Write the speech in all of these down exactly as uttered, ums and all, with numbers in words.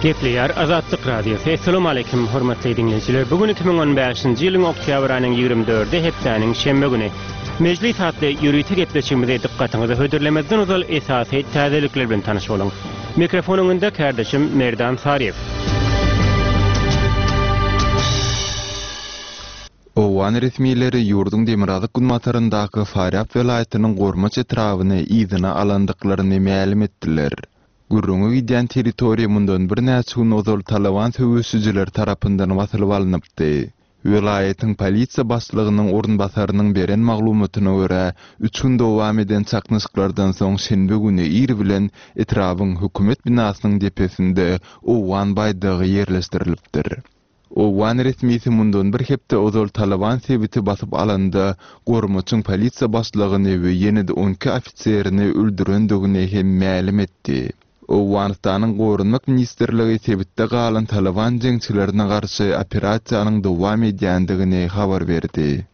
Gepleýär Azatlyk Radiosy. Assalamu alaykum hormatly dinleýjiler. Bu gün iki müň on bäşinji ýylyň oktýabr aýynyň ýigrimi dördi hepdäniň şenbe güni. Mejlis atly ýörite gepleşigimizi dykgatyňyza hödürlemezden ozal esasy täzelikler bilen tanyş boluň. Mikrofon öňünde kardeşim Merdan Saryýew. Owgan resmileri ýurduň demirgazyk günbataryndaky Farýab welaýatynyň Gormaç etrabyny yzyna alandyklaryny mälim etdiler. Gürrüňi gidýän territoriýa mundan birnäçe gün ozal Taliban söweşijiler tarapyndan basylyp alnypdy. Welaýatyň polisiýa başlygynyň orunbasarynyň beren maglumatyna görä, üç gün dowam eden çaknyşyklardan soň şenbe güni ir bilen etrabyň hökümet binasynyň depesinde Owgan baýdagy ýerleşdirilipdir. Owgan resmisi mundan bir hepde ozal Taliban sebiti basyp alanda Gormaçyň polisiýa başlygyny we ýene-de on iki ofiserini öldürendigini hem mälim etdi. Owganystanyň Goranmak ministrligi sebitde galan Taliban jeňçilerine garşy operasiýanyň dowam edýändigini habar berdi.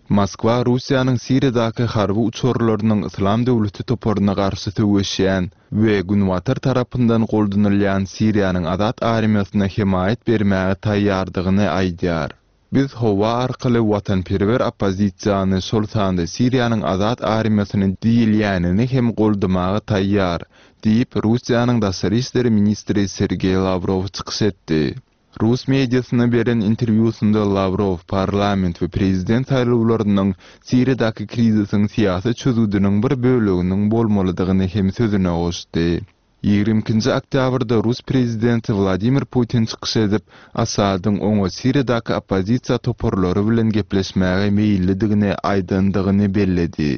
Moskwa Russiýanyň Siriýadaky harby uçarlarynyň Islam döwleti toparyna garşy söweşýän we Günbatar tarapyndan goldanylýan Siriýanyň Azat armiýasyna hemaýat bermäge taýýardygyny aýdýar. Biz howa arkaly watanperwer oppozisiýany, şol sanda Siriýanyň Azat armiýasyny diýilýänini hem goldamaga taýýar, diýip Russiýanyň Daşary işler ministri Sergeý Lawrow çykyş etdi. Rus mediasyna beren interwýusynda Lawrow parlament we prezident saýlawlarynyň Siriýadaky krizisiň syýasy çözgüdiniň bir böleginiň bolmalydygyny hem sözüne goşdy. Ýigrimi ikinji oktýabrda Rus prezidenti Wladimir Putin çykyş edip, Asadyň oňa Siriýadaky oppozisiýa toparlary bilen gepleşmäge meýillidigini aýdandygyny belledi.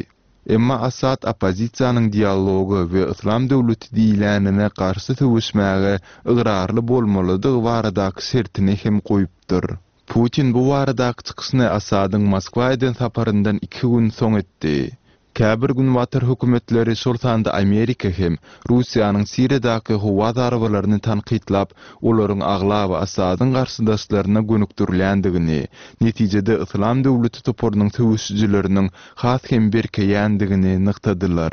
Emma Asad oppozisiýanyň dialogy we Islam döwleti diýilänine garşy söweşmäge ygrarly bolmalydygy baradaky şertini hem goýupdyr. Putin bu baradaky çykyşyny Asadyň Moskwa eden saparyndan iki gün soň etdi. Käbir günbatar hökümetleri, şol sanda Amerika hem Russiýanyň Siriýadaky howa zarbalaryny tankytlap, olaryň aglaba Asadyň garşydaşlaryna gönükdirilýändigini, netijede Islam döwleti toparynyň söweşijileriniň has hem berkeýändigini nygtadylar.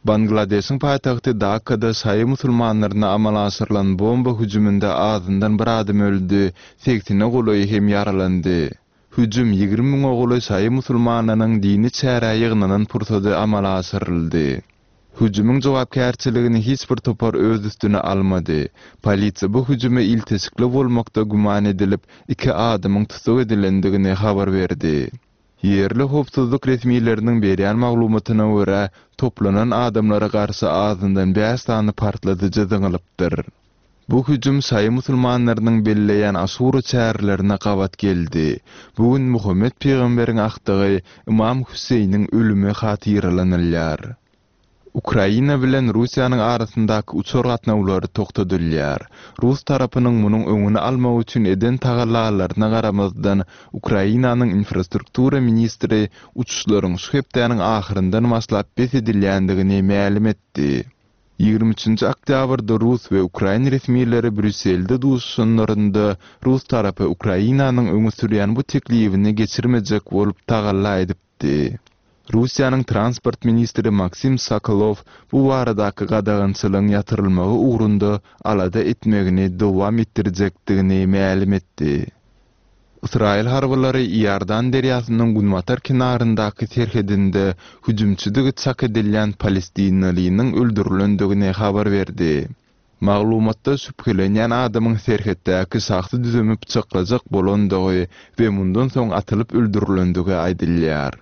Bangladeşiň paýtagty Dakada şaýy musulmanlaryna amala aşyrylan bomba hüjüminde azyndan bir adam öldü, segsene golaýy hem ýaralandy. Hüjüm ýigrimi müňe golaý şaýy musulmanlarynyň dini çärä ýygnanan pursady amala aşyryldy. Hüjümiň jogapkärçiligini hiç bir topar öz üstüne almady. Polisiýa bu hüjüme ilteşikli bolmakda güman edilip, iki adamyň tussag edilendigini habar berdi. Ýerli howpsuzlyk resmileriniň berýän maglumatyna görä, toplanan adamlara garşy azyndan bäş sany partladyjy zyňylypdyr. Bu hüjüm şaýy musulmanlarynyň belleýän Aşura çärelerine gabat geldi. Bu gün Muhammed peýgamberiň akdygy Imam Hüseýniň ölümi hatyralanylýar. Ukraina bilen Russiýanyň arasyndaky uçar gatnawlary toktadylýar. Rus tarapynyň munuň öňüni almak üçin eden tagallalaryna garamazdan Ukrainanyň infrastruktura ministri uçuşlaryň şu hepdäniň ahyryndan başlap bes edilýändigini mälim etdi. Ýigrimi üçünji oktýabrda Rus we Ukrain resmileri Brýusselde duşuşanlarynda Rus tarapy Ukrainanyň öňe sürýän bu teklibini geçirmejek bolup tagalla edipdi. Russiýanyň transport ministri Maksim Sokolow bu baradaky gadagançylygyň ýatyrylmagy ugrunda alada etmegini dowam etdirjekdigini mälim etdi. Ysraýyl harbylary Iordan derýasynyň günbatar kenaryndaky serhedinde hüjümçidigi çak edilýän palestinalynyň öldürilendigini habar berdi. Maglumatda şübhelenýän adamyň serhetdäki şahsy düzümi bıçaklajak bolandygy we mundan soň atylyp öldürilendigi aýdylýar.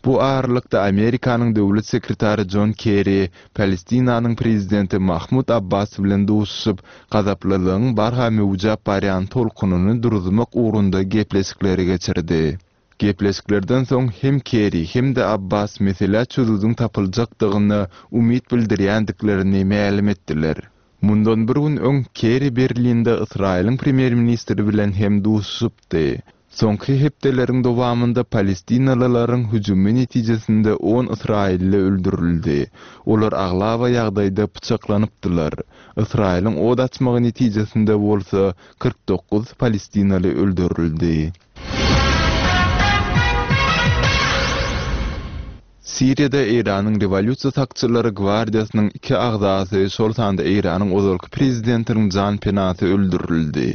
Bu aralykda Amerikanyň döwlet sekretary John Kerry Palestinanyň prezidenti Mahmud Abbas bilen duşuşyp, gazaplylygyň barha möwjap barýan tolkunyny duruzmak ugrunda gepleşikleri geçirdi. Gepleşiklerden soň hem Kerry hem-de Abbas mesele çözüdiň tapyljakdygyna umyt bildirýändiklerini mälim etdiler. Mundan bir gün öň Kerry Berlinde Ysraýylyň premýer-ministri bilen hem duşuşypdy. Soňky hepdeleriň dowamynda palestinalylaryň hüjümi netijesinde on Ysraýylly öldürildi. Olar aglaba ýagdaýda bıçaklanypdylar. Ysraýylyň od açmagy netijesinde bolsa kyrk dokuz palestinaly öldürildi. Siriýada Eýranyň Rewolýusiýa sakçylary gwardiýasynyň iki agzasy, şol sanda Eýranyň ozalky prezidentiniň janpenasy öldürildi.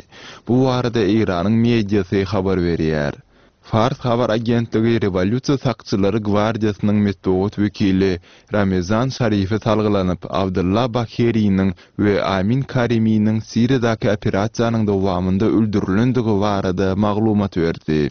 Bu barada Eýranyň mediasy habar berýär. Fars habar agentligi Rewolýusiýa sakçylary gwardiýasynyň metbugat wekili Ramezan Şarife salgylanyp, Abdylla Bakeriniň we Amin Kariminiň Siriýadaky operasiýanyň dowamynda öldürilendigi barada maglumat berdi.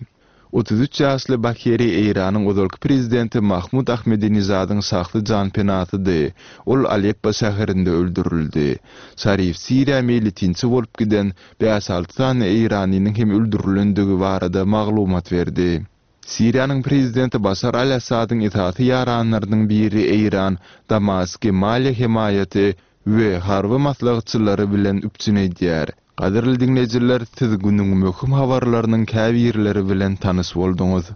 Otuz üç ýaşly Bakeri Eýranyň ozalky prezidenti Mahmud Ahmedinejadyň şahsy janpenasydy. Ol Aleppo şäherinde öldürildi. Şarif Siriýa meýletinçi bolup giden bäş-alty sany eýranynyň hem öldürilendigi barada maglumat berdi. Siriýanyň prezidenti Başar al-Assadyň esasy ýaranlarynyň biri Eýran Damasky maliýe hemaýaty we harby maslahatçylary bilen üpjün edýär. Gadyrly diňleýjiler, siz günüň möhüm habarlarynyň käbirleri bilen tanyş bolduňyz.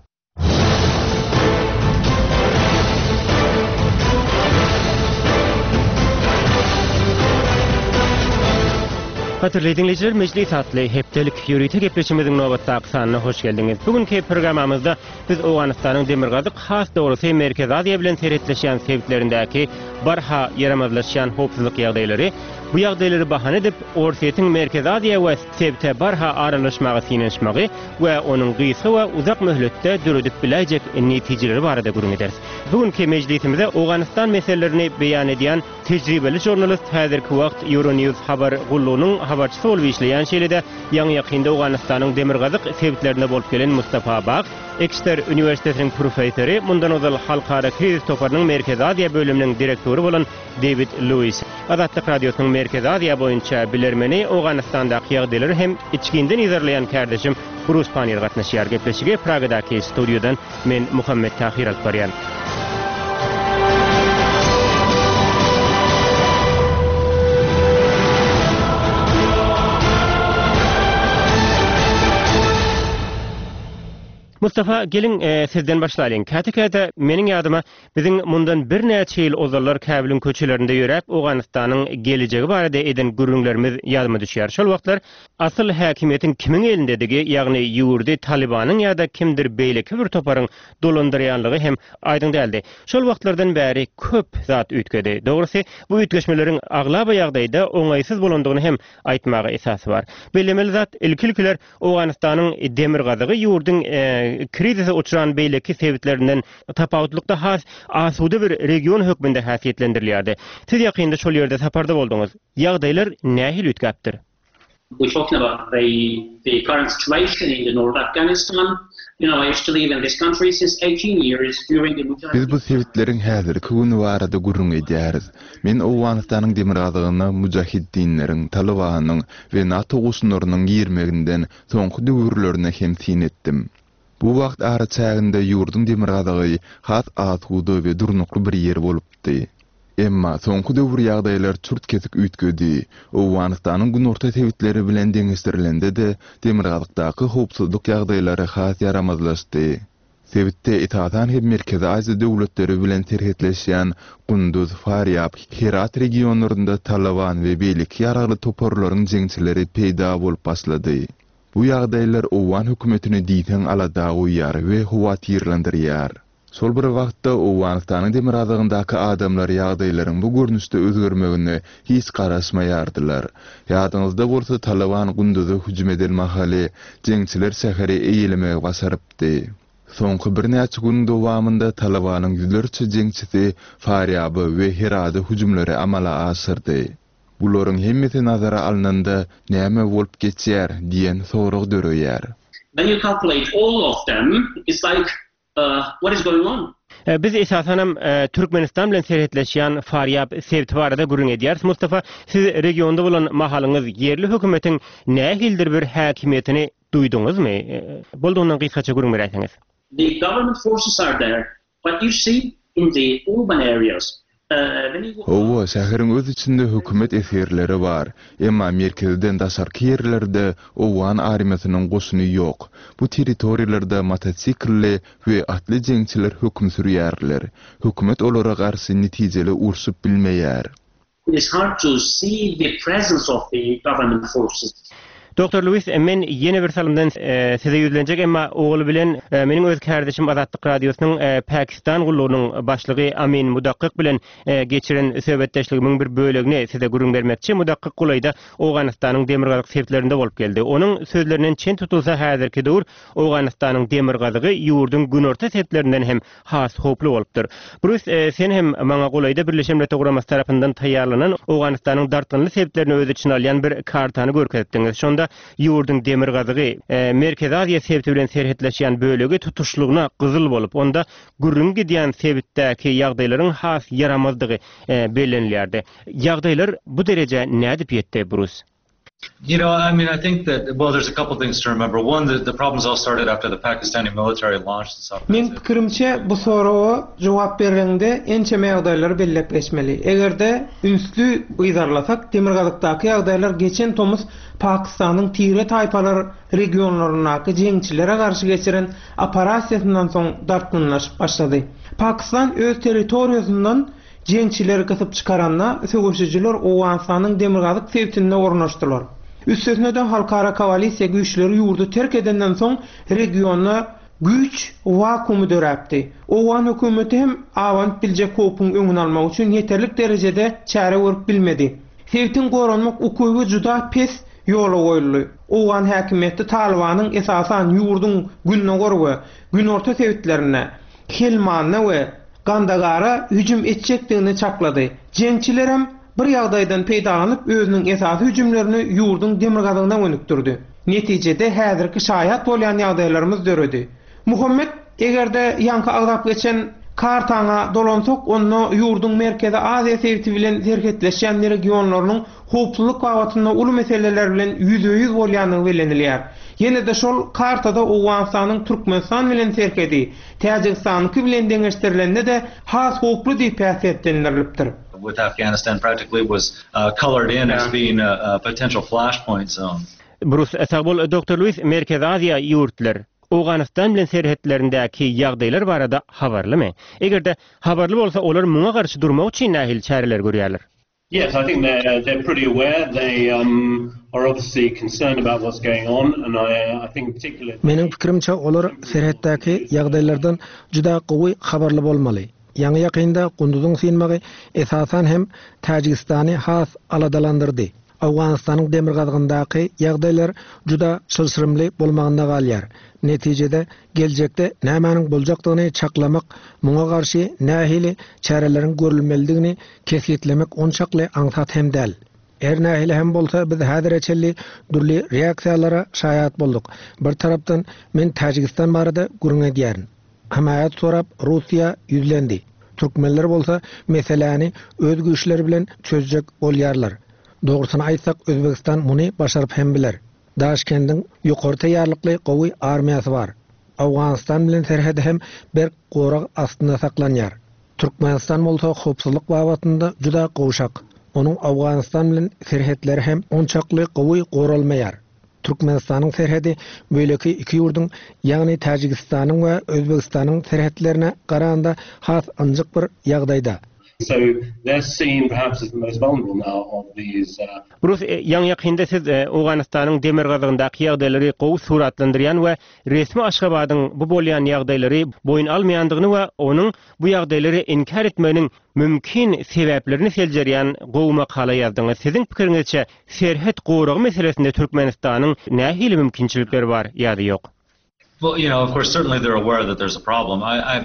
Gadyrly diňleýjiler, Mejlis atly hepdelik ýörite gepleşigimiziň nobatdaky sanyna hoş geldiňiz. Bu günki programmamyzda biz Owganystanyň demirgazyk, has dogrusy Merkezi Aziýa bilen serhetleşýän sebitlerindäki barha ýaramazlaşýan howpsuzlyk ýagdaýlary, bu ýagdaýlary bahana edip, Orsýetiň Merkezi Aziýa we sebite barha aralaşmaga synanyşmagy we onuň gysga we uzak möhletde döredip biläýjek netijeleri barada gürrüň ederis. Bu günki mejlisimize Owganystan meselelerini beýan edýän tejribeli žurnalist, häzirki wagt Euronews habar gullugynyň habarçysy bolup işleýän, şeýle-de ýaňy-ýakynda Owganystanyň demirgazyk sebitlerinde bolup gelen Mustafa Bag, Exeter uniwersitetiniň professory, mundan ozal Halkara krizis toparynyň Merkezi Aziýa bölüminiň direktory bolan Dewid Lewis, Azatlyk Radiosynyň Merkezi Aziýa boýunça bilermeni, Owganystandaky ýagdaýlary hem içginden yzarlaýan kärdeşim Brus Panniýer gatnaşýar. Gepleşige Pragadaky studiýadan men Muhammet Tahir alyp barýan. Mustafa, geliň, sizden başlalyň. Käte-käte meniň ýadyma biziň mundan birnäçe ýyl ozallar Käbiliň köçelerinde ýöräp, Owganystanyň gelejegi barada eden gürrüňlerimiz ýadyma düşýär. Şol wagtlar asyl häkimiýetiň kimiň elindedigi, ýagny ýurdy Talybanyň ýa-da kimdir beýleki bir toparyň dolandyrýanlygy hem aýdyň däldi. Şol wagtlardan bäri köp zat üýtgedi. Dogrusy, bu üýtgeşmeleriň aglaba ýagdaýda oňaýsyz bolandygyny hem aýtmaga esas bar. Bellemeli zat, ilki-ilkiler Owganystanyň demirgazygy ýurduň krizise uçran beýleki sebitlerinden tapawutlykda has asuda bir region hökmünde häsiýetlendirilýärdi. Siz ýakynda şol ýerde saparda bolduňyz. Ýagdaýlar nähili üýtgäpdir? We're talking about the, the current situation in the North Afghanistan. You know, I used to live in this country since eighteen years during the Mujahideen. Biz bu sebitleriň häzirki güni barada gürrüň edýäris. Men Owganystanyň demirgazygyna mujahiddinleriň, Talybanyň we NATO goşunlarynyň girmeginden soňky döwürlerine hem syn etdim. Bu wagt araçäginde ýurduň demirgazygy has asuda we durnukly bir ýer bolupdy. Emma soňky döwür ýagdaýlar çürt-kesik üýtgedi. Owganystanyň günorta sebitleri bilen deňeşdirilende-de demirgazykdaky howpsuzlyk ýagdaýlary has ýaramazlaşdy. Sebitde esasan hem Merkezi Aziýa döwletleri bilen serhetleşýän Gunduz, Farýab, Herat regionlarynda Taliban we beýleki ýaragly toparlaryň jeňçileri peýda bolup başlady. Bu ýagdaýlar Owgan hökümetini diýseň alada goýýar we howatyrlandyrýar. Şol bir wagtda Owganystanyň demirgazygyndaky adamlar ýagdaýlaryň bu görnüşde özgermegine hiç garaşmaýardylar. Ýadyňyzda bolsa Taliban Gunduza hüjüm eden mahaly jeňçiler şäheri eýelemegi başarypdy. Soňky birnäçe günüň dowamynda Talibanyň ýüzlerçe jeňçisi Farýaba we Herada hüjümleri amala aşyrdy. Bularyň hemmesi nazara alnanda näme bolup geçýär diýen sorag döreýär. When you calculate all of them, it's like, uh, what is going on? Biz esasanam Türkmenistan bilen serhetleşýän Farýab sebiti barada gürrüň edýäris. Mustafa, siz regionda bolan mahalyňyz ýerli hökümetiň nähilidir bir häkimiýetini duýduňyzmy? Boldugyndan gysgaça gürrüň beräýseňiz. The government forces are there, but you see in the urban areas. Hawa, şäheriň öz içinde hökümet esgerleri bar. Emma merkezden daşarky ýerlerde Owgan armiýasynyň goşuny ýok. Bu territoriýalarda motosiklli we atly jeňçiler höküm sürýärler. Hökümet olara garşy netijeli urşup bilmeýär. It is hard to see the presence of the government forces. Doktor Lewis, men ýene bir salymdan e, size ýüzlenjek, emma ogly bilen e, meniň öz kardeşim Azatlyk Radiosynyň e, Pakistan gullugynyň başlygy Amin Mudakkyk bilen e, geçiren söhbetdeşligimiň bir bölegini size gürrüň bermekçi. Mudakkyk golaýda Owganystanyň demirgazyk sebitlerinde bolup geldi. Onuň sözlerinden çen tutulsa häzirki döwür Owganystanyň demirgazygy ýurduň günorta sebitlerinden hem has howply bolupdyr. Bruce, e, sen hem maňa golaýda Birleşen Milletler Guramasy tarapyndan taýýarlanan Owganystanyň dartgynly sebitlerini öz içine alýan bir kartany görkezipdiňiz. Şonda ýurduň demirgazygy e, Merkezi Aziýa sebiti bilen serhetleşýän bölegi tutuşlygyna gyzyl bolup, onda gürrüň gidýän sebitdäki ýagdaýlaryň has ýaramazdygy e, bellenilýärdi. Ýagdaýlar bu derejä nädip ýetdi, Bruce? You know, I mean, I think that, well, there's a couple things to remember. One, the, the problems all started after the Pakistani military launched this Men offensive. pikirimçe bu soraga jogap berende ençeme ýagdaýlary belläp geçmeli. Eger-de ünsli yzarlasak, Demirgazykdaky ýagdaýlar geçen tomus Pakistanyň tire taýpalar regionlaryndaky jeňçilere garşy geçiren operasiýasyndan soň dartgynlaşyp başlady. Pakistan öz territoriýasyndan jeňçileri gysyp çykaranda söweşijiler Owganystanyň Demirgazyk sebitinde ornaşdylar. Üstesine-de halkara koalisiýa güýçleri ýurdy terk edenden soň regionda güýç wakuumy döräpdi. Owgan hökümeti hem abanyp biljek howpuň öňüni almak üçin ýeterlik derejede çäre görüp bilmedi. Sebitiň goranmak ukyby juda pes ýola goýuldy. Owgan häkimiýeti Talibanyň esasan ýurduň gündogar we günorta sebitlerine, Helmanda we Gandagara hüjüm etjekdigini çaklady. Jeňçilerem bir ýagdaýdan peýdalanyp özüniň esasy hüjümlerini ýurduň demirgazygyna gönükdirdi. Netijede häzirki şaýat bolýan ýagdaýlarymyz döredi. Muhammet eger-de ýaňky agzap geçen kartaňa dolansak, onda ýurduň Merkezi Aziýa sebiti bilen serhetleşýän regionlarynyň howpsuzlyk babatynda uly meseleler bilen ýüzbe-ýüz bolýandygy bellenilýär. Ýene-de şol kartada Owganystanyň Türkmenistan bilen serhedi, Täjigistanyňky bilen deňeşdirilende-de has howply diýip häsiýetlendirilipdir. With Afghanistan practically was uh, colored in as being a, a potential flashpoint zone. Bruce, sag bol, Doktor Lewis, Merkezi Aziýa ýurtlar Owganystan bilen serhetlerindäki ýagdaýlar barada habarlymy? Eger-de habarly bolsa, olar muňa garşy durmak üçin nähili çäreler görýärler? Yes, I think they're they're pretty aware. They um, are obviously concerned about what's going on, and I, I think particularly. Meniň pikirimçe olar serhetdäki ýagdaýlardan juda gowy habarly bolmaly. Ýaňy ýakynda Kunduzyň synmagy esasan hem Täjigistany has aladalandyrdy. Owganystanyň demirgazygyndaky ýagdaýlar juda çylşyrymly bolmagynda galýar. Netijede geljekde nämäniň boljakdygyny çaklamak, muňa garşy nähili çäreleriň görülmelidigini kesgitlemek onçakly aňsat hem däl. Er nähili hem bolsa biz häzire çenli dürli reaksiýalara şaýat bolduk. Bir tarapdan men Täjigistan barada gürrüň edýärin. Hemaýat sorap Russiýa ýüzlendi. Türkmenler bolsa meseläni öz güýçleri bilen çözjek bolýarlar. Dogrusyny aýtsak Özbegistan muny başaryp hem biler. Daşkendiň ýokary taýýarlykly gowy armiýasy bar. Owganystan bilen serhedi hem berk gorag astynda saklanýar. Türkmenistan bolsa howpsuzlyk babatynda juda gowşak. Onuň Owganystan bilen serhetleri hem onçakly gowy goralmaýar. Türkmenistanyň serhedi beýleki iki ýurduň, ýagny Täjigistanyň we Özbegistanyň serhetlerine garanda has ynjyk bir ýagdaýda. So they're seen perhaps as the most vulnerable now of these. Uh, Bruce, e, ýaňy ýakynda siz e, Owganystanyň demirgazygyndaky ýagdaýlary gowy suratlandyrýan we resmi Aşgabadyň bu bolýan ýagdaýlary boýun almaýandygyny we onuň bu ýagdaýlary inkär etmeginiň mümkin sebäplerini seljerýän gowy makala ýazdyňyz. Siziň pikiriňizçe serhet goragy meselesinde Türkmenistanyň nähili mümkinçilikleri bar ýa-da ýok? Well, you know, of course, certainly they're aware that there's a problem. I, I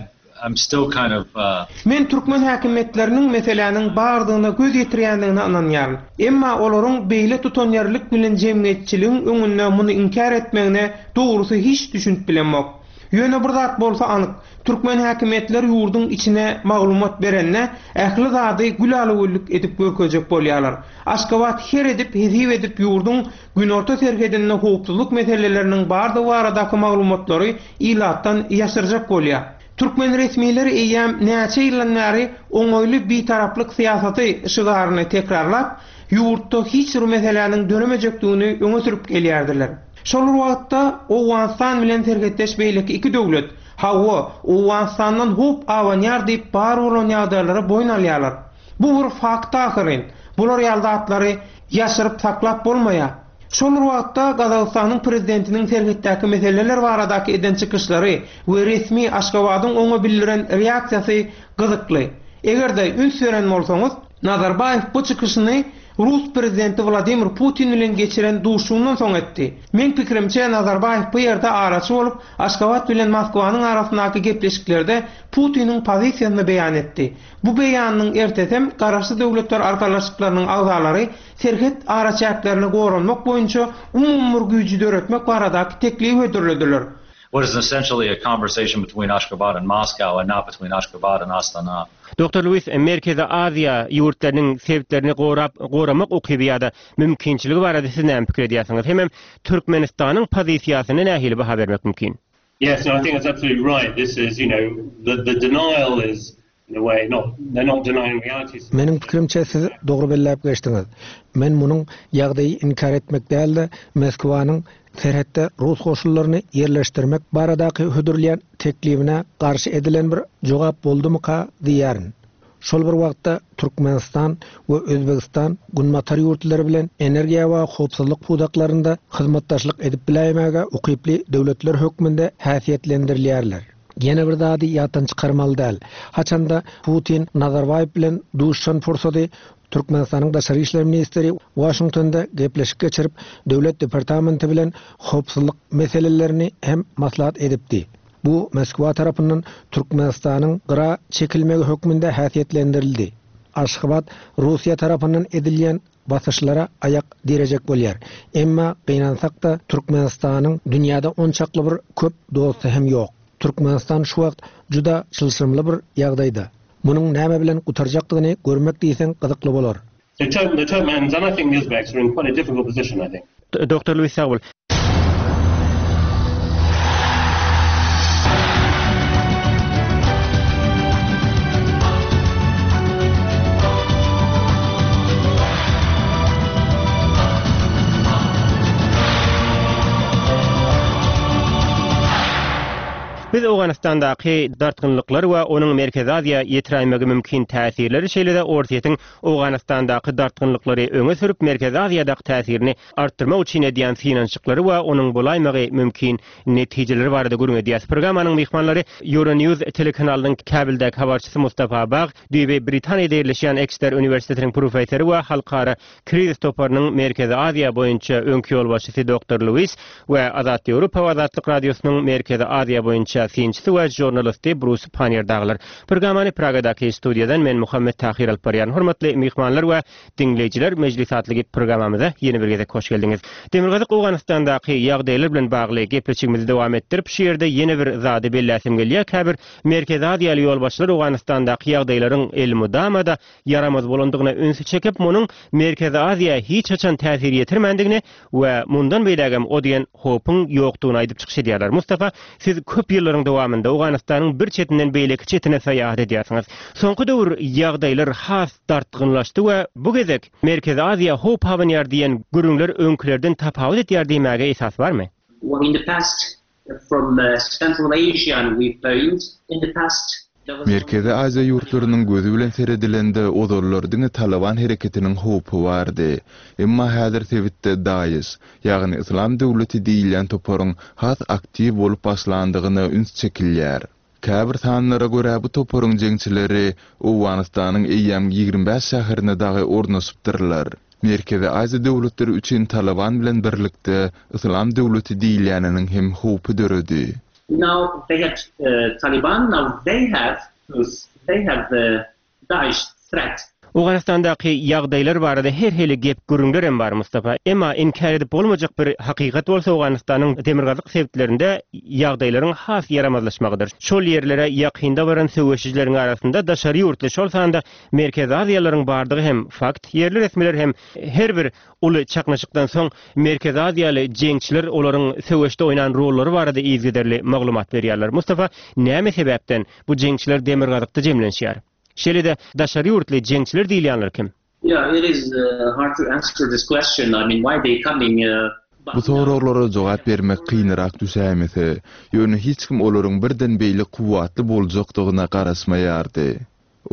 I'm still kind of uh, Men türkmen häkimiýetleriniň meseläniň bardygyna göz ýetirýändigine ynanýaryn. Emma olaryň beýle tutanýerlik bilen jemgyýetçiligiň öňünde muny inkär etmegine dogrusy hiç düşünip bilemok. Ýöne bir zat bolsa anyk, türkmen häkimiýetleri ýurduň içine maglumat berende ähli zady gül-güllük edip görkezjek bolýarlar. Aşgabat her edip hesip edip ýurduň günorta serhedinde howpsuzlyk meseleleriniň bardygy baradaky maglumatlary ilatdan ýaşyrjak bolýar. Türkmen resmileri eýýäm näçe ýyldan bäri oňaýly bitaraplyk syýasaty şygaryny tekrarlap, ýurtda hiç bir meseläniň döremejekdigini öňe sürüp gelýärdiler. Şol bir wagtda Owganystan bilen serhetdeş beýleki iki döwlet, hawa, Owganystandan howp abanýar diýip bar bolan ýagdaýlara boýun alýarlar. Bu bir fakt ahyryn. Bular ýaly zatlary ýaşyryp saklap bolmaýar. Şol bir wagtda Gazagystanyň prezidentiniň serhetdäki meseleler baradaky eden çykyşlary we resmi Aşgabadyň oňa bildiren reaksiýasy gyzykly. Eger-de üns beren bolsaňyz, Nazarbaýew bu çykyşyny Rus prezidenti Wladimir Putin bilen geçiren duşuşygyndan soň etdi. Meň pikirimçe Nazarbaýew bu ýerde araçy bolup, Aşgabat bilen Moskwanyň arasyndaky gepleşiklerde Putiniň pozisiýasyny beýan etdi. Bu beýanynyň ertesem Garaşsyz Döwletler Arkalaşyklarynyň agzalary serhet araçäklerini goranmak boýunça umumy bir güýji döretmek baradaky teklibi hödürlediler. What is essentially a conversation between Ashgabat and Moscow and not between Ashgabat and Astana. Doktor Lewis, Merkezi Aziýa ýurtlarynyň sebitlerini gorap, goramak ukyby ýa-da mümkinçiligi barada siz näme pikir edýärsiňiz? Hemem Türkmenistanyň pozisiýasyna nähili baha bermek mümkin? Yes, no, I think that's absolutely right. This is, you know, the, the denial is, in a way, not, they're not denying reality. Meniň pikirimçe siz dogry belläp geçdiňiz. Men munuň ýagdaýy inkär etmek däl-de, Moskwanyň serhetde rus goşunlaryny ýerleşdirmek baradaky hödürleýän teklibine garşy edilen bir jogap boldumyka diýýärin. Şol bir wagtda Türkmenistan we Özbegistan Günbatar ýurtlary bilen energiýa we howpsuzlyk pudaklarynda hyzmatdaşlyk edip biläýmäge ukyply döwletler hökmünde häsiýetlendirilýärler. Ýene bir zady ýatdan çykarmaly däl. Haçanda Putin Nazarbaýew bilen duşuşan pursady Türkmenistanyň daşary işler ministri Washingtonda gepleşik geçirip, döwlet departamenti bilen howpsuzlyk meselelerini hem maslahat edipdi. Bu Moskwa tarapyndan Türkmenistanyň gyra çekilmegi hökmünde häsiýetlendirildi. Aşgabat Russiýa tarapyndan edilýän basyşlara aýak direjek bolýar. Emma gynansak-da Türkmenistanyň dünýäde onçakly bir köp dosty hem ýok. Türkmenistan şu wagt juda çylşyrymly bir ýagdaýda. Munuň näme bilen gutarjakdygyny görmek diýseň gyzykly bolar. The Turk, the Turkmens and I think the Uzbeks are in quite a difficult position, I think. Doktor Lewis sag bol. Biz Owganystandaky dartgynlyklar we onuň Merkezi Aziýa ýetiräýmegi mümkin täsirleri, şeýle-de Orsýetiň Owganystandaky dartgynlyklary öňe sürüp Merkezi Aziýadaky täsirini artdyrmak üçin edýän synanyşyklary we onuň bolaýmagy mümkin netijeleri barada gürrüň edýäs. Programmanyň myhmanlary Euronews telekanalynyň Kabuldäki habarçysy Mustafa Bag, düýbi Britaniýada ýerleşýän Exeter uniwersitetiniň professory we halkara krizis toparynyň Merkezi Aziýa boýunça öňki ýolbaşçysy Doktor Lewis we Azat Ýewropa we Azatlyk Radiosynyň Merkezi Aziýa boýunça synçysy we žurnalisti Brus Pannier dagylar. Programmany Pragadaky studiýadan men Muhammet Tahir alyp barýan. Hormatly myhmanlar we diňleýjiler, Mejlis atly programmamyza ýene bir gezek hoş geldiňiz. Demirgazyk Owganystandaky ýagdaýlar bilen bagly gepleşigimizi dowam etdirip, şu ýerde ýene bir zady belläsim gelýär. Käbir Merkezi Aziýaly ýolbaşçylar Owganystandaky ýagdaýlaryň elmydama-da ýaramaz bolandygyna ünsi çekip, munuň Merkezi Aziýa hiç haçan täsir ýetirmändigini we mundan beýlägem o diýen howpuň ýokdugyny aýdyp çykyş edýärler. Mustafa, siz köp ýyllaryň dowamynda Owganystanyň bir çetinden beýleki çetine syýahat edýärsiňiz. Soňky döwür ýagdaýlar has dartgynlaşdy we bu gezek Merkezi Aziýa howp abanýar diýen gürrüňler öňkülerden tapawut edýär diýmäge esas barmy? Well, in the past, from uh, Central Asia and we've phoned in the past there was Merkezi Aziýa ýurtlarynyň gözi bilen seredilende ozallar diňe Taliban hereketiniň howpy bardy. Emma häzir sebitde DAEŞ, ýagny Islam döwleti diýilýän toparyň has aktiw bolup başlandygyna üns çekilýär. Käbir sanlara görä bu toparyň jeňçileri Owganystanyň eýýäm ýigrimi bäş şäherine dagy ornaşypdyrlar. Merkezi Aziýa döwletleri üçin Taliban bilen birlikde Islam döwleti diýilýäniniň hem howpy döredi. Now they have uh, Taliban, now they have they have the Daesh threat. Owganystandaky ýagdaýlar barada her hili gep gürrüňler hem bar Mustafa. Emma inkär edip bolmajak bir hakykat bolsa Owganystanyň demirgazyk sebitlerinde ýagdaýlaryň has ýaramazlaşmagydyr. Şol ýerlere ýakynda baran söweşijileriň arasynda daşary ýurtly, şol sanda Merkezi Aziýalaryň bardygy hem fakt. Ýerli resmiler hem her bir uly çaknyşykdan soň Merkezi Aziýaly jeňçiler olaryň söweşde oýnan rollary barada yzygiderli maglumat berýärler. Mustafa, näme sebäpden bu jeňçiler demirgazykda jemlenişýär? Şeýle-de daşary ýurtly jeňçiler diýilýänler kim? Yeah, it is uh, hard to answer this question. I mean, why they coming? Uh, but Bu soraglara jogap bermek kynrak düşäýmese, ýöne hiç kim olaryň birden beýle kuwwatly boljakdygyna garaşmaýardy.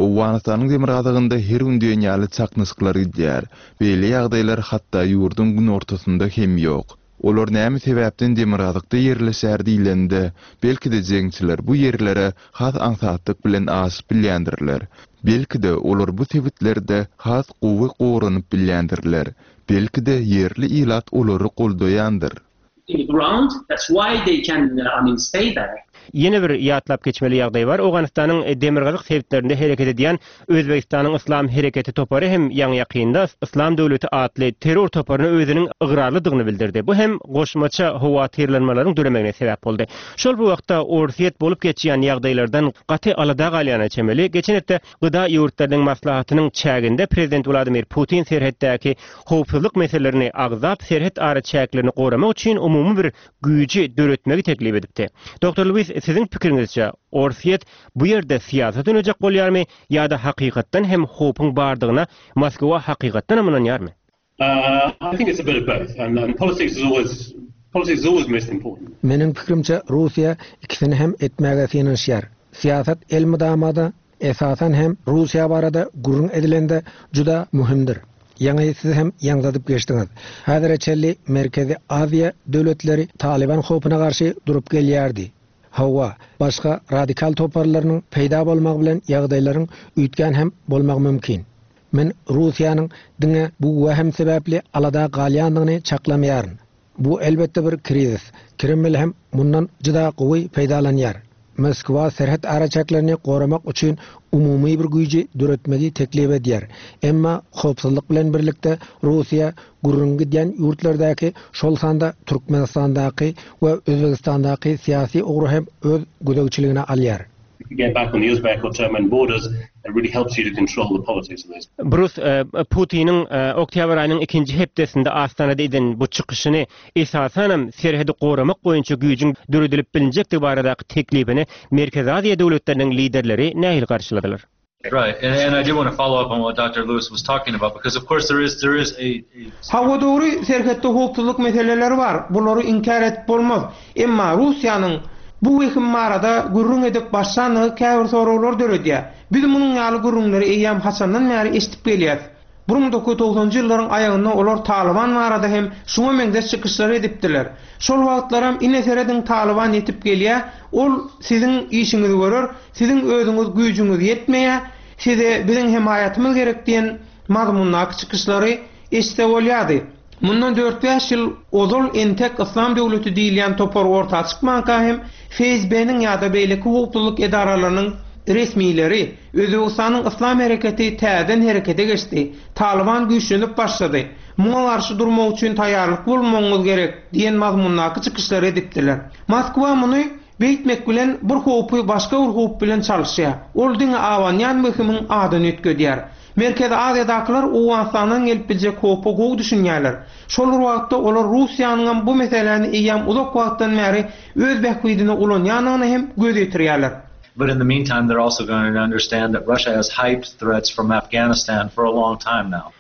Owganystanyň demirgazygynda her gün diýen ýaly çaknyşyklar gidýär. Beýle ýagdaýlar hatda ýurduň günortasynda hem ýok. Olar näme sebäpden demirgazykda ýerleşýär diýlende, belki-de jeňçiler bu ýerlere has aňsatlyk bilen aşyp bilýändirler. Belki-de olar bu sebitlerde has gowy goranyp bilýändirler. Belki-de ýerli ilat olary goldaýandyr. In the ground, that's why they can, uh, I mean, stay there. Ýene bir ýatlap geçmeli ýagdaý bar. Owganystanyň demirgazyk sebitlerinde hereket edýän Özbegistanyň Yslam hereketi topary hem ýaňy ýakynda Yslam döwleti atly terror toparyna özüniň ygrarlydygyny bildirdi. Bu hem goşmaça howatyrlanmalaryň döremegine sebäp boldy. Şol bir wagtda Orsýet bolup geçýän ýagdaýlardan gaty alada galýana çemeli. Geçen hepde G D A ýurtlarynyň maslahatynyň çäginde prezident Wladimir Putin serhetdäki howpsuzlyk meselelerini agzap, serhet ara çäklerini goramak üçin umumy bir güýji döretmegi teklip edipdi. Doktor Lewis, siziň pikiriňizçe Orsýet bu ýerde syýasat oýnajak bolýarmy ýa-da hakykatdan hem howpuň bardygyna Moskwa hakykatdan hem ynanýarmy? Uh, I think it's a bit of both, and, and politics is always politics is always most important. Meniň pikrimçe Russiýa ikisini hem etmäge synanyşýar. Syýasat elmydamada esasan hem Russiýa barada gürrüň edilende juda möhümdir. Ýaňy siz hem ýaňzadyp geçdiňiz. Häzire çenli Merkezi Aziýa döwletleri Taliban howpuna garşy durup gelýärdi. Hawa, başga radikal toparlarynyň peýda bolmagy bilen ýagdaýlaryň üýtgän hem bolmagy mümkin. Men Russiýanyň diňe bu wehem sebäpli alada galýandygyny çaklamaýaryn. Bu elbetde bir krizis. Kreml hem mundan juda gowy peýdalanýar. Moskwa serhet araçäklerini goramak üçin umumy bir güýji döretmegi teklip edýär. Emma howpsuzlyk bilen birlikde Russiýa gürrüň gidýän ýurtlardaky, şol sanda Türkmenistandaky we Özbegistandaky syýasy ugry hem öz gözegçiligine alýar. If you get back on the Uzbek or Turkmen borders, it really helps you to control the politics of those. Brus, e, Putiniň e, oktýabr aýynyň ikinji hepdesinde Astanada eden bu çykyşyny esasanam serhedi goramak boýunça güýjüň döredilip bilinjekdigi baradaky teklibini Merkezi Aziýa döwletleriniň liderleri nähili garşyladylar? Right, and, and I do want to follow up on what Doctor Lewis was talking about, because of course there is there is a, a Hawa, dogry, serhetde howpsuzlyk meseleleri bar. Bulary inkär edip bolmaz. Emma Russiýanyň bu wehim barada gürrüň edip başlandygy käbir soraglar döredýär. Biz munuň ýaly gürrüňleri eýýäm haçandan bäri eşidip gelýäs. bir müň dokuz ýüz togsanynjy ýyllaryň aýagynda olar Taliban barada hem şuňa meňzeş çykyşlar edipdiler. Şol wagtlaram ine serediň Taliban ýetip gelýär, ol siziň işiňizi görer, siziň özüňiz güýjüňiz ýetmeýär, size biziň hemaýatymyz gerek diýen mazmundaky çykyşlary eşitse bolýardy. Mundan dört-bäş ýyl ozal entek Yslam döwleti diýilýän topar orta çykmanka hem F S B-niň ýa-da beýleki howpsuzlyk edaralarynyň resmileri Özbegistanyň Yslam hereketi täzeden herekete geçdi. Taliban güýçlenip başlady. Muňa garşy durmak üçin taýýarlyk bolmagyňyz gerek diýen mazmundaky çykyşlary edipdiler. Moskwa muny beýtmek bilen bir howpy başga bir howp bilen çalyşýar. Ol diňe abanýan wehimiň adyny üýtgedýär. Merkezi Aziýadakylar Owganystandan gelip biljek howpa gowy düşünýärler. Şol bir wagtda olar Russiýanyň bu meseläni eýýäm uzak wagtdan bäri öz bähbidine ulanýandygyny hem göz ýetirýärler. But in the meantime, they're also going to understand that Russia has hyped threats from Afghanistan for a long time now.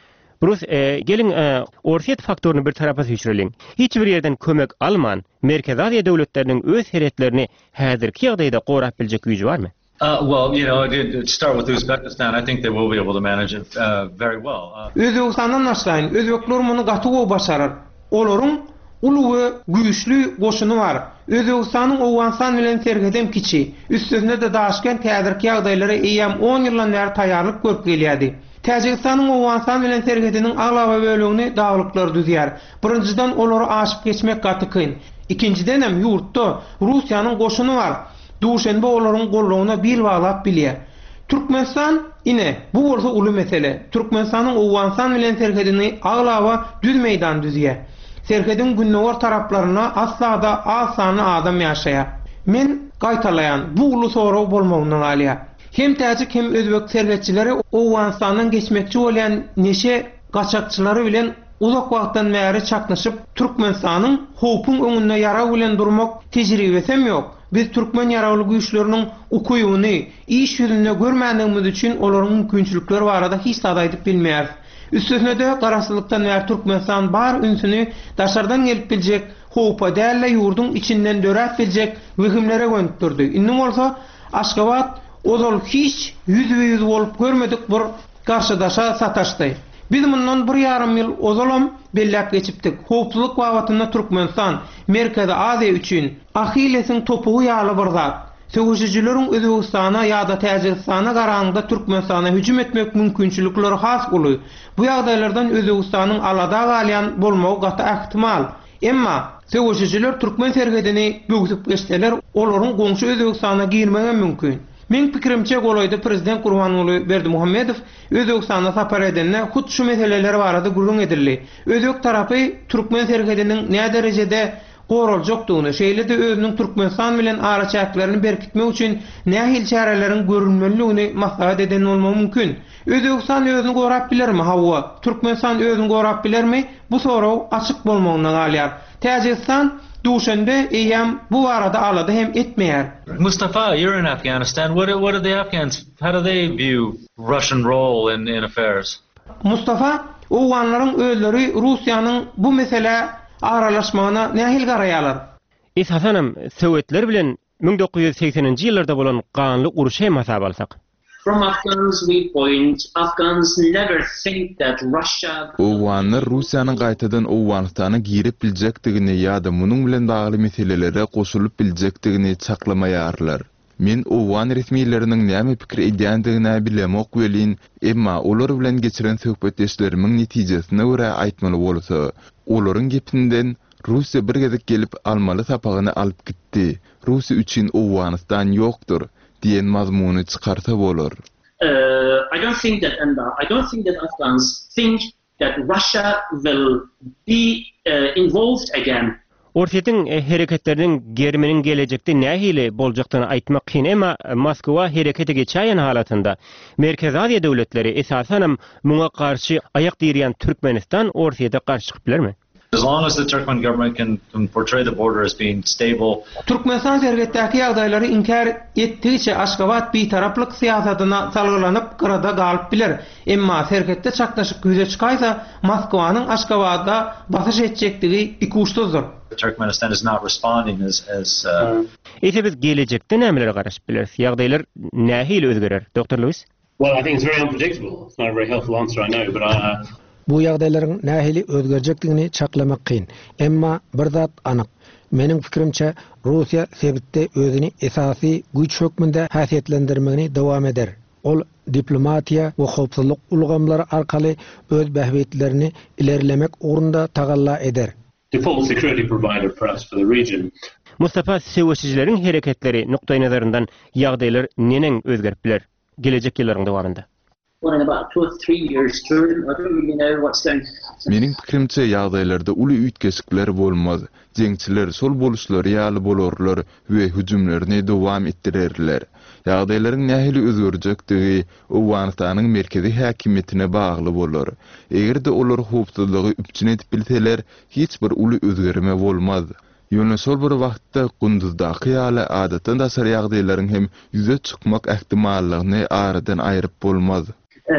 Brus, e, geliň e, Orsýet faktoryny bir tarapa süýşüreliň. Hiç bir ýerden kömek alman, Merkezi Aziýa döwletleriniň öz serhetlerini häzirki ýagdaýda gorap biljek güýji barmy? Uh, well, you know, to, to start with Uzbekistan, I think they will be able to manage it uh, very well. Uh, Özbegistandan başlaýyn. Özbekler muny gaty gowy başarar. Olaryň uly we güýçli goşuny bar. Özbegistanyň Owganystan bilen serhedem kiçi. Üstesine de Daşkent häzirki ýagdaýlara eýýäm on ýyldan bäri taýýarlyk görüp gelýärdi. Täjigistanyň Owganystan bilen serhediniň aglaba bölegini daglyklar düzýär. Birinjiden olary aşyp geçmek gaty kyn. Ikinjiden hem ýurtda Russiýanyň goşuny bar. Duşenbe olaryň gollugyna bil baglap bilýär. Türkmenistan ine bu bolsa uly mesele. Türkmenistanyň Owganystan bilen serhedini aglaba düz meýdan düzýär. Serhediň gündogar taraplaryna asla-da az sanly adam ýaşaýar. Men gaýtalaýan bu uly sorag bolmagyndan galýar. Hem täjik hem özbek serhetçileri Owganystandan geçmekçi bolýan neşe gaçakçylary bilen uzak wagtdan bäri çaknyşyp, Türkmenistanyň howpuň öňünde ýarag bilen durmak tejribesi hem ýok. Biz türkmen ýaragly güýçleriniň ukybyny iş ýüzünde görmändigimiz üçin olaryň mümkinçilikleri barada hiç zat aýdyp bilmeýäris. Üstesine de garaşsyzlykdan bäri Türkmenistan bar ünsüni daşardan gelip biljek howpa däl-de ýurduň içinden döräp biljek wehimlere gönükdirdi. Indi bolsa Aşgabat Ozal hiç ýüzbe-ýüz bolup görmedik bir garşydaşa sataşdy. Biz mundan bir ýarym ýyl ozalam belläp geçipdik. Howpsuzlyk babatynda Türkmenistan Merkezi Aziýa üçin Ahillesiň topugy ýaly bir zat. Söweşijileriň Özbegistana ýa-da Täjigistana garanyňda Türkmenistana hüjüm etmek mümkinçilikleri has uly. Bu ýagdaýlardan Özbegistanyň alada galýan bolmagy gaty ähtimal. Emma söweşijiler türkmen serhedini böwsüp geçseler, olaryň goňşy Özbegistana girmegi mümkin. Meň pikirimçe golaýda prezident Gurbanguly Berdimuhamedow Özbegistana sapar edende hut şu meseleler barada gürrüň edildi. Özbek tarapy türkmen serhediniň nä derejede goraljakdygyny, şeýle-de özüniň Türkmenistan bilen araçäklerini berkitmek üçin nähili çäreleriň görülmelidigini maslahat eden bolmagy mümkin. Özbegistan özüni gorap bilermi? Hawa. Türkmenistan özüni gorap bilermi? Bu sorag açyk bolmagynda galýar. Täjigistan Duşenbe eýýäm bu barada alada hem etmeýär. Mustafa, you're in Afghanistan. What do, what do the Afghans, how do they view Russian role in, in affairs? Mustafa, Owganlaryň özleri Russiýanyň bu meselä aralaşmagyna nähili garaýarlar? Esasanam Sowetler bilen müň dokuz ýüz segseninji ýyllarda bolan ganly urşy hem hasaba alsak. From Afghans viewpoint, Afghans never think that Russia Owganlar Russiýanyň gaýtadan Owganystana girip biljekdigini ýa-da munuň bilen bagly meselelere goşulyp biljekdigini çaklamaýarlar. Men owgan resmileriniň näme pikir edýändigini bilemok welin, emma olar bilen geçiren söhbetdeşlerimiň netijesine görä aýtmaly bolsa, olaryň gepinden Russiýa bir gezek gelip almaly sapagyny alyp gitdi. Russiýa üçin Owganystan ýokdur diýen mazmuny çykarsa bolar. Uh, I don't think that and I don't think that Afghans think that Russia will be, uh, involved again. Orsýetiň hereketleriniň geriminiň gelejekde nähili boljakdygyny aýtmak kyn, emma Moskwa herekete geçäýen halatynda Merkezi Aziýa döwletleri esasanam muňa garşy aýak direýän Türkmenistan Orsýete garşy çykyp bilermi? As long as the Turkmen government can, can portray the border as being stable. Türkmenistan serhetdäki ýagdaýlary inkär etdigiçe Aşgabat bitaraplyk syýasatyna salgylanyp gyrada galyp biler. Emma serhetde çaknyşyk ýüze çykaýsa, Moskwanyň Aşgabatda basyş etjekdigi ikuçsuzdyr. Turkmenistan is not responding as, as, uh, Eýse biz gelejekde nämelere garaşyp bileris? Ýagdaýlar nähili özgerer? Doktor Lewis? Well, I think it's very unpredictable. It's not a very helpful answer, I know, but I, uh, Bu ýagdaýlaryň nähili özgerjekdigini çaklamak kyn. Emma bir zat anyk. Meniň pikirimçe Russiýa sebitde özüni esasy güýç hökmünde häsiýetlendirmegini dowam eder. Ol diplomatiýa we howpsuzlyk ulgamlary arkaly öz bähbitlerini ilerlemek ugrunda tagalla eder. Default security provider perhaps for the region. Mustafa, söweşijileriň hereketleri nukdaý nazaryndan ýagdaýlar neneň özgerip biler gelejek ýyllaryň dowamynda? Well, in about two or three years term, I don't really know what's going to happen. Meniň pikirimçe ýagdaýlarda uly üýtgeşikler bolmaz. Jeňçiler şol boluşlary ýaly bolarlar we hüjümlerini dowam etdirerler. Ýagdaýlaryň nähili özgerjekdigi Owganystanyň merkezi häkimiýetine bagly bolar. Eger-de olar howpsuzlygy üpjün edip bilseler, hiç bir uly özgerme bolmaz. Ýöne şol bir wagtda Gunduzdaky ýaly adatdan daşary ýagdaýlaryň hem ýüze çykmak ähtimallygyny aradan aýryp bolmaz. Uh,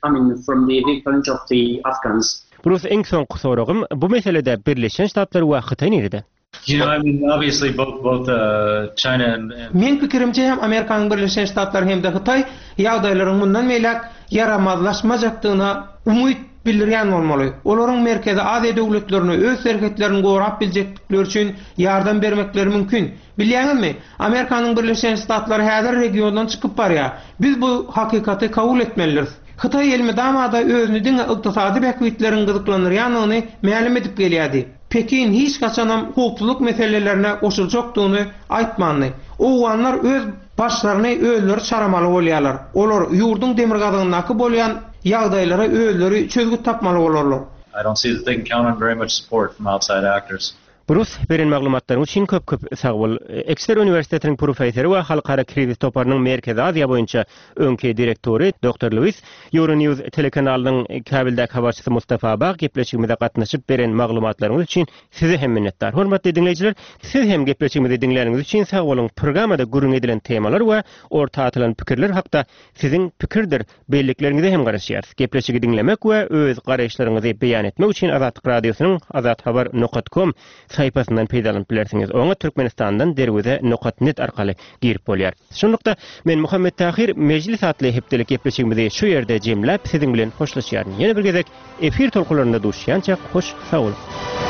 I mean, from the viewpoint of the Afghans. Bruce, iň soňky soragym, bu meselede Birleşen Ştatlar we Hytaý nirede? You know, I mean, obviously both, both, uh, China and, and Meň pikirimçe hem Amerikanyň Birleşen Ştatlary hem-de Hytaý ýagdaýlaryň mundan beýläk ýaramazlaşmajakdygyna umyt bildirýän bolmaly. Olaryň Merkezi Aziýa döwletlerine öz serhetlerini gorap biljekdikleri üçin ýardam bermekleri mümkin. Bilýäňizmi? Amerikanyň Birleşen Ştatlary häzir regiondan çykyp barýar. Biz bu hakykaty kabul etmelidiris. Hytaý elmydama-da özüni diňe ykdysady bähbitleriň gyzyklandyrýandygyny mälim edip gelýärdi. Pekin hiç haçanam howpsuzlyk meselelerine goşuljakdygyny aýtmandy. Owganlar öz başlaryny özleri çaramaly bolýarlar. Olar ýurduň demirgazygyndaky bolýan ýagdaýlara özleri çözgüt tapmaly bolarlar. I don't see that they can count on very much support from outside actors. Bruce, beren maglumatlaryň üçin köp-köp sag bol. Exeter Uniwersitetiniň professory we Halkara krizis toparynyň Merkezi Aziýa boýunça öňki direktory Doktor Lewis, Euronews telekanalynyň Kabildäki habarçysy Mustafa Bag gepleşigimize gatnaşyp beren maglumatlaryňyz üçin size hem minnetdar. Hormatly diňleýjiler, siz hem gepleşigimizi diňläniňiz üçin sag boluň. Programmada gürrüň edilen temalar we orta atylan pikirler hakda siziň pikirdir bellikleriňize hem garaşýarys. Gepleşigi diňlemek we öz garaýyşlaryňyzy beýan etmek üçin Azatlyk Radiosynyň azathabar nokta com sahypasyndan peýdalanyp bilersiňiz. Oňa Türkmenistandan derweze nokat net arkaly girip bolýar. Şunlukda men Muhammet Tahir Mejlis atly hepdelik gepleşigimizi şu ýerde jemläp siziň bilen hoşlaşýaryn. Ýene bir gezek efir tolkunlarynda duşýança hoş sag boluň.